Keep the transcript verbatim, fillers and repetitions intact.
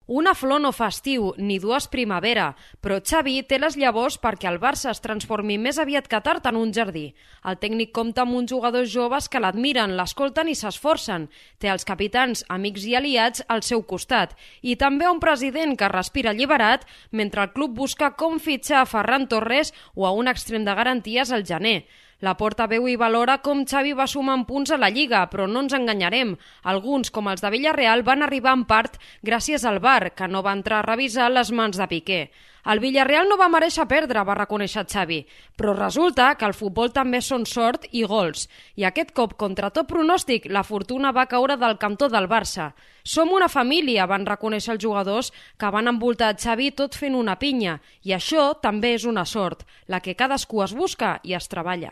Una flor no fa estiu, ni dues primavera, però Xavi té les llavors perquè el Barça es transformi més aviat que tard en un jardí. El tècnic compta amb uns jugadors joves que l'admiren, l'escolten i s'esforcen. Té els capitans, amics i aliats al seu costat. I també un president que respira alliberat mentre el club busca com fitxar a Ferran Torres o a un extrem de garanties al gener. Laporta veu i valora com Xavi va sumant punts a la Lliga, però no ens enganyarem. Alguns, com els de Villarreal, van arribar en part gràcies al V A R, que no va entrar a revisar les mans de Piqué. El Villarreal no va mereixer perdre, va reconèixer Xavi, però resulta que el futbol també són sort i gols. I aquest cop, contra tot pronòstic, la fortuna va caure del cantó del Barça. Som una família, van reconèixer els jugadors que van envoltar Xavi tot fent una pinya. I això també és una sort, la que cadascú es busca i es treballa.